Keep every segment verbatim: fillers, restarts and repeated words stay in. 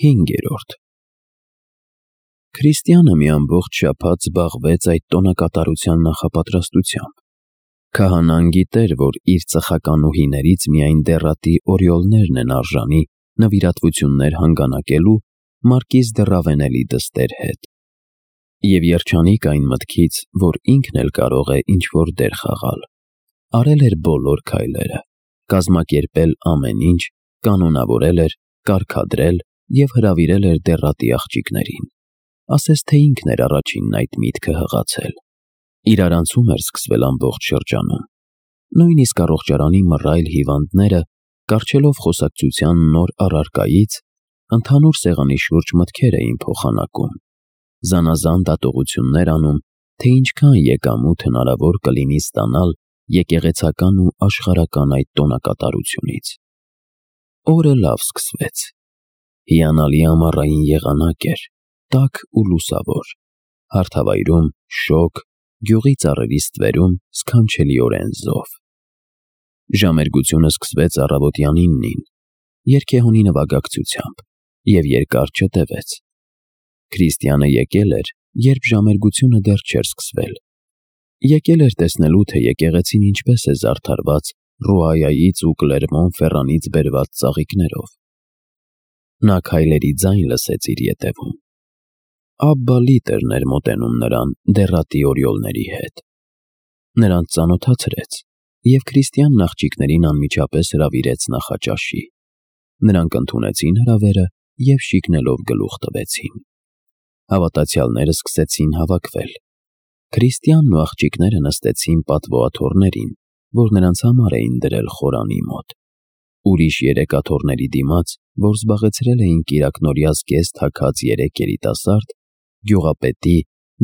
Հինգերորդ Քրիստիանը մի ամբողջ շաբաթ զբաղվեց այդ տոնակատարության նախապատրաստությամբ։ Քահանան գիտեր, որ իր ծխականուհիներից միայն դեռատի օրիոլներն են արժանի նվիրատվություններ հանգանակելու Մարկիզ դե Ռավենելի դստեր հետ։ Եվ երջանիկ այն մտքից, որ ինքն էլ կարող է ինչ-որ դեր խաղալ, արել էր բոլոր քայլերը, կազմակերպել ամեն ինչ, կանոնավորել էր, կարգադրել և հրավիրել էր դեռատի աղջիկներին, ասես թե ինքն էր առաջինն այդ միտքը հղացել։ Իրարանցում էր սկսվել ամբողջ շրջանում։ Նույնիսկ առողջարանի մռայլ հիվանդները, կառչելով խոսակցության նոր առարկայից, ընդհանուր սեղանի շուրջ մտքեր էին փոխանակում, զանազան դատողություններ անում, թե ինչքան եկամուտ հնարավոր կլինի ստանալ եկեղեցական ու աշխարհական այդ տոնակատարությունից։ Օրը լավ սկսվեց։ Հիանալի ամառային եղանակ էր, տաք ու լուսավոր, հարթավայրում շոգ, գյուղի ծառերի ստվերում սքանչելիորեն զով։ Ժամերգությունը սկսվեց առավոտյան իննին, երգեհոնի նվագակցությամբ, և երկար չտևեց։ Քրիստիանը եկել էր, երբ ժամերգությունը դեռ չէր սկսվել։ Եկել էր տեսնելու, թե եկեղեցին ինչպես է զարդարված Ռուայայից ու Կլերմոն-Ֆերրանից բերված ծաղիկներով։ Նա քայլերի ձայն լսեց իր ետևում։ Աբբա Լիտերն էր մոտենում նրան դեռատի օրիոլների հետ։ Նրանց ծանոթացրեց, և Քրիստիանն աղջիկներին անմիջապես հրավիրեց նախաճաշի։ Նրանք ընդունեցին հրավերը և շիկնելով գլուխ տվեցին։ Հավատացյալները սկսեցին հավաքվել։ Քրիստիանն ու աղջիկները նստեցին պատվոաթոռներին, որ նրանց համար էին դրել խորանի մոտ։ Ուրիշ երեք աթոռների դիմաց, որ զբաղեցրել էին կիրակնօրյա զգեստ թաքած երեք երիտասարդ, գյուղապետի,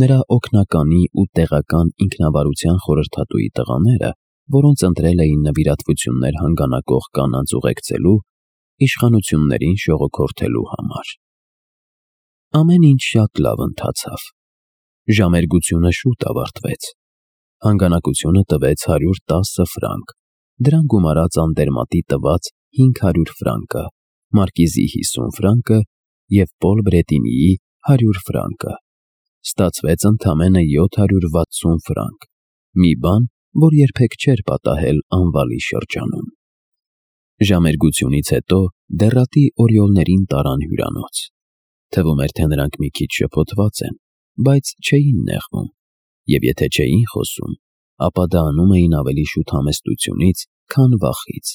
նրա օգնականի ու տեղական ինքնավարության խորհրդատուի տղաները, որոնց ընտրել էին նվիրատվություններ հանգանակող կանանց ուղեկցելու, իշխանություններին շողոքորթելու համար։ Ամեն ինչ շատ լավ ընթացավ։ Ժամերգությունը շուտ ավարտվեց։ Հանգանակությունը տվեց հարյուր տասը ֆրանկ, դրան գումարած Անդերմատի տված հինգ հարյուր ֆրանկը, Մարկիզի հիսուն ֆրանկը և Պոլ Բրետինիի հարյուր ֆրանկը։ Ստացվեց ընդամենը յոթ հարյուր վաթսուն ֆրանկ, մի բան, որ երբեք չէր պատահել անվալի շրջանում։ Ժամերգությունից հետո դեռատի օրիոլներին տարան հյուրանոց։ Թվում էր, թե նրանք մի քիչ շփոթված են, բայց չէին նեղվում, և եթե չէին խոսում, ապա դա անում էին ավելի շուտ համեստությունից, քան վախից։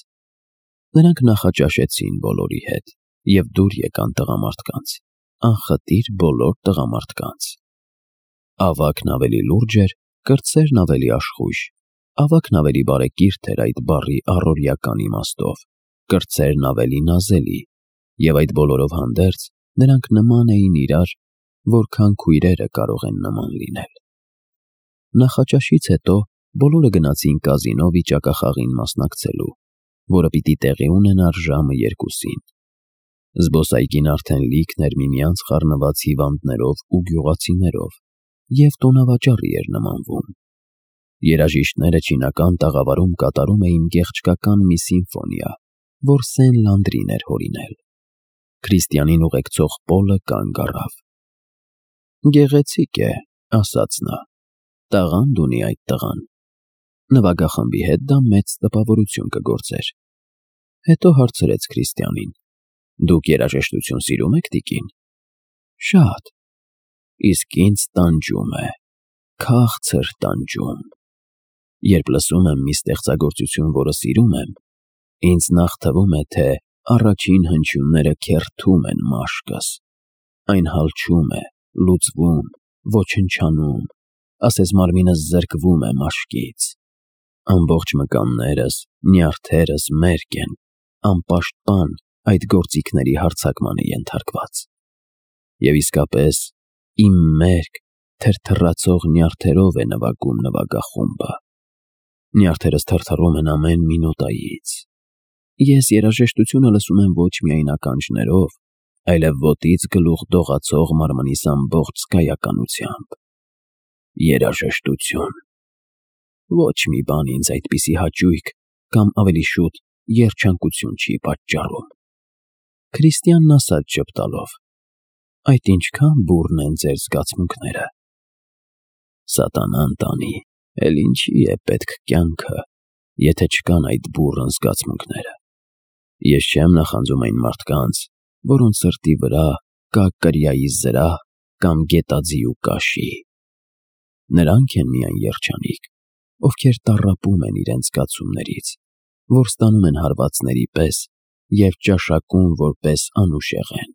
Նրանք նախաճաշեցին բոլորի հետ և դուր եկան տղամարդկանց, անխտիր բոլոր տղամարդկանց։ Ավագն ավելի լուրջ էր, կրտսերն ավելի աշխույժ, ավագն ավելի բարեկիրթ էր այդ բառի առօրեական իմաստով, կրտսերն ավելի նազելի, և այդ բոլորով հանդերձ նրանք նման էին իրար, որքան քույրերը կարող են նման լինել։ Նախաճաշից հետո բոլորը գնացին կազինո վիճակախաղին մասնակցելու, որը պիտի տեղի ունենար ժամը երկուսին։ Զբոսայգին արդեն լիքն էր միմյանց խառնված հիվանդներով ու գյուղացիներով և տոնավաճառի էր նմանվում։ Երաժիշտները չինական տաղավարում կատարում էին գեղչկական մի սիմֆոնիա, որ Սեն-Լանդրին էր հորինել։ Քրիստիանին ուղեկցող Պոլը կանգ առավ։ «Գեղեցիկ է», ասաց նա, «տաղանդ ունի այդ տղան։ Նվագախմբի հետ դա մեծ տպավորություն կգործեր»։ Հետո հարցրեց Քրիստիանին. «Դուք երաժշտություն սիրում եք, տիկին»։ «Շատ»։ «Իսկ ինձ տանջում է, քաղցր տանջում։ Երբ լսում եմ մի ստեղծագործություն, որը սիրում եմ, ինձ նախ թվում է, թե առաջին հնչյունները քերթում են մաշկս, այն հալչում է, լուծվում, ոչնչանում, ասես մարմինս զրկվում է մաշկից։ Ամբողջ մկաններս, նյարդերս մերկ են, անպաշտպան այդ գործիքների հարձակմանը ենթարկված։ Եվ իսկապես, իմ մերկ, թրթռացող նյարդերով է նվագում նվագախումբը։ Նյարդերս թրթռում են ամեն մի նոտայից։ Ես երաժշտությունը լսում եմ ոչ միայն ականջներով, այլև ոտից գլուխ դողացող մարմնիս ամբողջ զգայականությամբ։ Երաժշտություն։ Ոչ մի բան ինձ այդպիսի հաճույք կամ ավելի շուտ երջանկություն չի պատճառում։ Քրիստիանն ասաց ժպտալով. Այդ ինչքան բուռն են ձեր զգացմունքները։ Սատանան տանի, էլ ինչի է պետք կյանքը, եթե չկան այդ բուռն զգացմունքները։ Ես չեմ նախանձում այն մարդկանց, որոնց սրտի վրա կա կրիայի զրահ կամ գետաձի ու կաշի։ Նրանք են միայն երջանիկ, ովքեր տառապում են իրենց զգացումներից, որ ստանում են հարվածների պես և ճաշակում որպես անուշեղ են։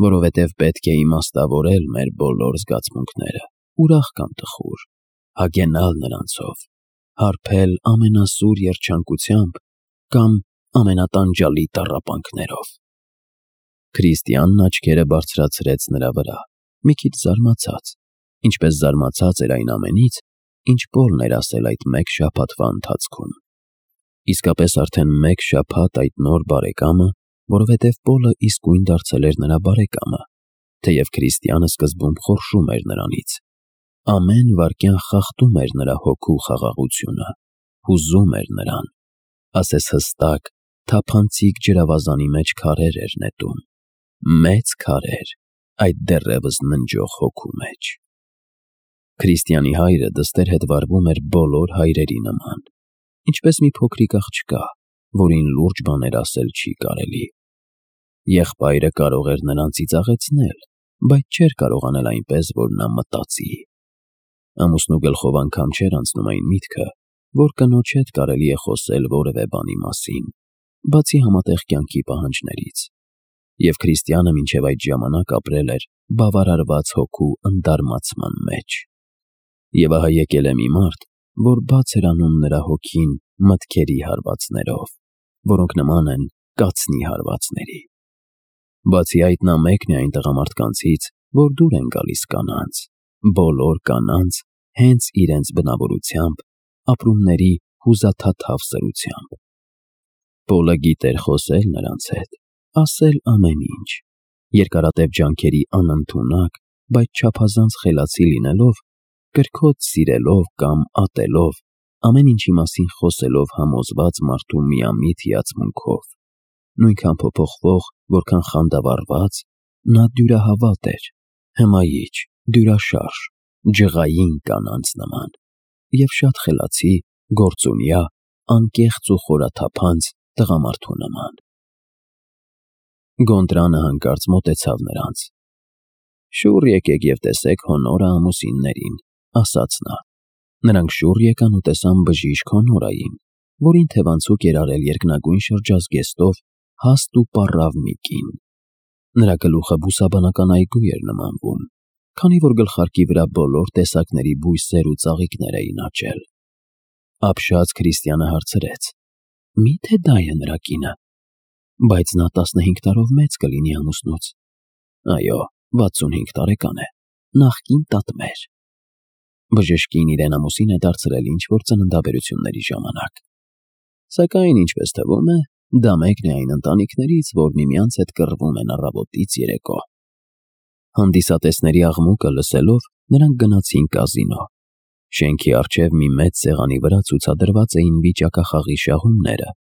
Որովհետև պետք է իմաստավորել մեր բոլոր զգացմունքները, ուրախ կամ տխուր, հագենալ նրանցով, հարբել ամենասուր երջանկությամբ կամ ամենատանջալի տառապանքներով։ Քրիստիանն աչքերը բարձրացրեց նրա վրա, մի քիչ զարմացած, ինչպես զարմացած էր այն ամենից, ինչ Պոլն էր ասել այդ մեկ շաբաթվա ընթացքում։ Իսկապես արդեն մեկ շաբաթ այդ նոր բարեկամը, որովհետև Պոլը իսկույն դարձել էր նրա բարեկամը, թեև Քրիստիանը սկզբում խորշում էր նրանից, ամեն վայրկյան խախտում էր նրա հոգու խաղաղությունը, հուզում էր նրան, ասես հստակ, թափանցիկ ջրավազանի մեջ քարեր էր նետում, մեծ քարեր այդ դեռևս ննջող հոգու մեջ։ Քրիստիանի հայրը դստեր հետ վարվում էր բոլոր հայրերի նման, ինչպես մի փոքրիկ աղջկա, որին լուրջ բաներ ասել չի կարելի։ Եղբայրը կարող էր նրան ծիծաղեցնել, բայց չէր կարող անել այնպես, որ նա մտածի։ Ամուսնու գլխով անգամ չէր անցնում այն միտքը, որ կնոջ հետ կարելի է խոսել որևէ բանի մասին, բացի համատեղ կյանքի պահանջներից, և Քրիստիանը մինչև այդ ժամանակ ապրել էր բավարարված հոգու ընդարմացման մեջ։ Եվ ահա եկել է մի մարդ, որ բաց էր անում նրա հոգին մտքերի հարվածներով, որոնք նման են կացնի հարվածների։ Բացի այդ, նա մեկն է այն տղամարդկանցից, որ դուր են գալիս կանանց, բոլոր կանանց հենց իրենց բնավորությամբ, ապրումների հուզաթաթավ սրությամբ։ Պոլը գիտեր խոսել նրանց հետ, ասել ամեն ինչ, երկարատև ջանքերի անընդունակ, բայց չափազանց խելացի լինելով, կրքոտ սիրելով կամ ատելով, ամեն ինչի մասին խոսելով համոզված մարդու միամիտ հիացմունքով, նույնքան փոփոխվող, որքան խանդավառված, նա դյուրահավատ էր, հմայիչ, դյուրաշարժ, ջղային կանանց նման, և շատ խելացի, գործունյա, անկեղծ ու խորաթափանց տղամարդու նման։ Գոնդրանը հանկարծ մոտեցավ նրանց։ Շուռ եկեք և տեսեք հոնորը ամուսիններին, ասաց նա։ Նրանք շուռ եկան ու տեսան բժիշկ հոնորային, որին թևանցուկ էր արել երկնագույն շրջազգեստով հաստ ու պառավ մի կին։ Նրա գլուխը բուսաբանական այգու էր նմանվում, քանի որ գլխարկի վրա բոլոր տեսակների բույսեր ու ծաղիկներ էին աճել։ Ապշած Քրիստիանը հարցրեց. Մի՞թե դա է նրա կինը։ Բայց նա տասնհինգ տարով մեծ կլինի ամուսնուց։ Այո, վաթսունհինգ տարեկան է, նախկին տատմեր։ Բժշկին իրեն ամուսին է դարձրել ինչ-որ ծննդաբերությունների ժամանակ։ Սակայն, ինչպես թվում է, դա մեկն է այն ընտանիքներից, որ միմյանց հետ կռվում են առավոտից երեկո։ Հանդիսատեսների աղմուկը լսելով, նրանք գնացին կազինո։ Շենքի առջև մի մեծ սեղանի վրա ցուցադրված էին վիճակախաղի շահումները։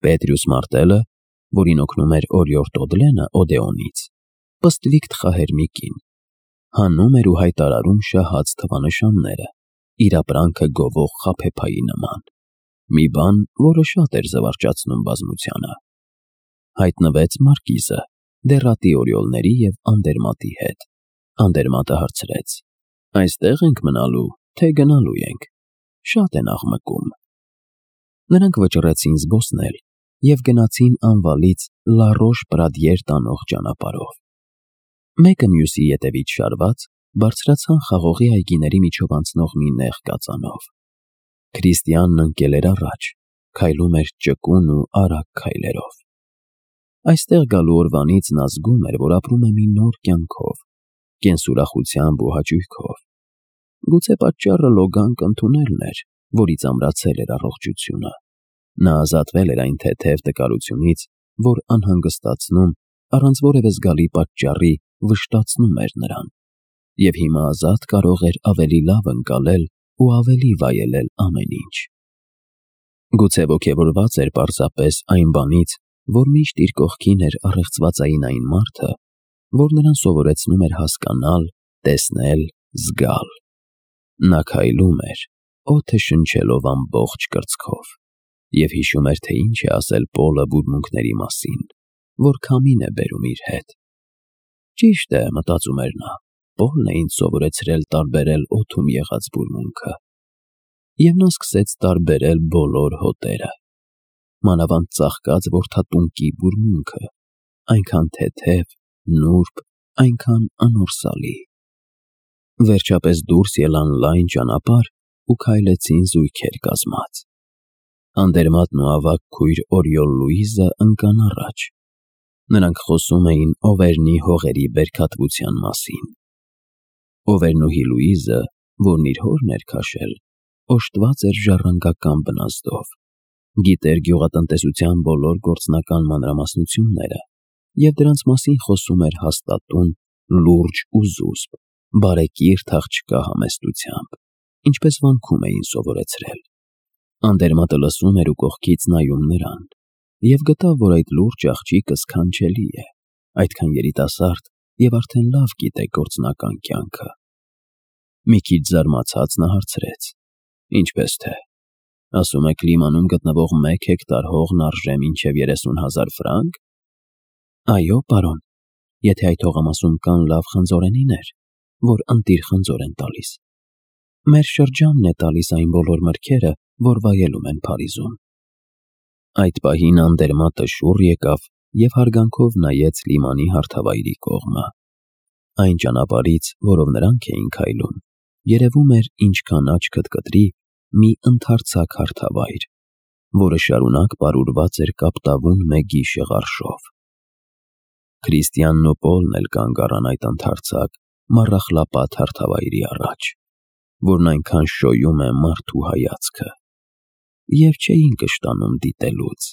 Պետրյուս Մարտելը, որին օգնում էր օրիորդ Օդլենը Օդեոնից, պստլիկ թխահեր մի կին, հանում էր ու հայտարարում շահած թվանշանները, իր ապրանքը գովող խաբեբայի նման, մի բան, որը շատ էր զվարճացնում բազմությանը։ Հայտնվեց մարկիզը, դեռատի օրիոլների և Անդերմատի հետ։ Անդերմատը հարցրեց. Այստեղ ենք մնալու, թե գնալու ենք։ Շատ են աղմկում։ Նրանք վճռեցին զբոսնել և գնացին անվալից Լարոշ Պրադիեր տանող ճանապարհով։ Մեկը մյուսի ետևից շարված, բարձրացան խաղողի այգիների միջով անցնող մի նեղ կածանով։ Քրիստիանն ընկել էր առաջ, քայլում էր ճկուն ու արագ քայլերով։ Այստեղ գալու օրվանից նա զգում էր, որ ապրում է մի նոր կյանքով, կենսուրախությամբ ու հաճույքով։ Գուցե պատճառը լոգանք ընդունելն էր, որից ամրացել էր առողջությունը։ Նա ազատվել էր այն թեթև տկարությունից, որ անհանգստացնում, առանց որևէ զգալի պատճառի վշտացնում էր նրան, և հիմա ազատ կարող էր ավելի լավ ընկալել ու ավելի վայելել ամեն ինչ։ Գուցե ոգևորված էր պարզապես այն բանից, որ միշտ իր կողքին էր առեղծվածային այն մարդը, որ նրան սովորեցնում էր հասկանալ, տեսնել, զգալ։ Նա քայլում էր, օդը շնչելով ամբողջ կրծքով, և հիշում էր, թե ինչ է ասել Պոլը բուրմունքների մասին, որ քամին է բերում իր հետ։ Ճիշտ է, մտածում էր նա, Պոլն է ինձ սովորեցրել տարբերել օդում եղած բուրմունքը։ Եվ նա սկսեց տարբերել բոլոր հոտերը, մանավանդ ծաղկած որդատունկի բուրմունքը, այնքան թեթև, նուրբ, այնքան անորսալի։ Վերջապես դուրս ելան լայն ճանապարհ ու քայլեցին զույգեր կազմած։ Անդերմատն ու ավագ քույր Օրիոլ Լուիզը ընկան առաջ։ Նրանք խոսում էին Օվերնի հողերի բերքատվության մասին։ Օվերնուհի Լուիզը, որն իր հորն էր քաշել, օժտված էր ժառանգական բնազդով, գիտեր գյուղատնտեսության բոլոր գործնական մանրամասնությունները և դրանց մասին խոսում էր հաստատուն, լուրջ ու զուսպ, բարեկիրթ աղջկա համեստությամբ, ինչպես վանքում էին սովորեցրել։ Անդերմատը լսում էր ու կողքից նայում նրան, և գտավ, որ այդ լուրջ աղջիկը սքանչելի է, այդքան երիտասարդ և արդեն լավ գիտե գործնական կյանքը։ Մի քիչ զարմացած նա հարցրեց. Ինչպես թե, ասում եք Լիմանում գտնվող մեկ հեկտար հողն արժե մինչև երեսուն հազար ֆրանկ։ Այո, պարոն, եթե այդ հողամասում կան լավ խնձորենիներ, որ ընտիր խնձոր են տալիս։ Մեր շրջանն է տալիս այն բոլոր մրգերը, որ վայելում են Փարիզում։ Այդ պահին Անդերմատը շուռ եկավ և հարգանքով նայեց Լիմանի հարթավայրի կողմը։ Այն ճանապարհից, որով նրանք էին քայլում, երևում էր, ինչքան աչքդ կտրի, մի ընդարձակ հարթավայր, որը շարունակ պարուրված էր կապտավուն մեգի շեղարշով։ Քրիստիանն ու Պոլն էլ կանգ առան այդ ընդարձակ, մառախլապատ հարթավայրի առաջ, որն այնքան շոյում է մարդու հայացքը, և չէին կշտանում դիտելուց։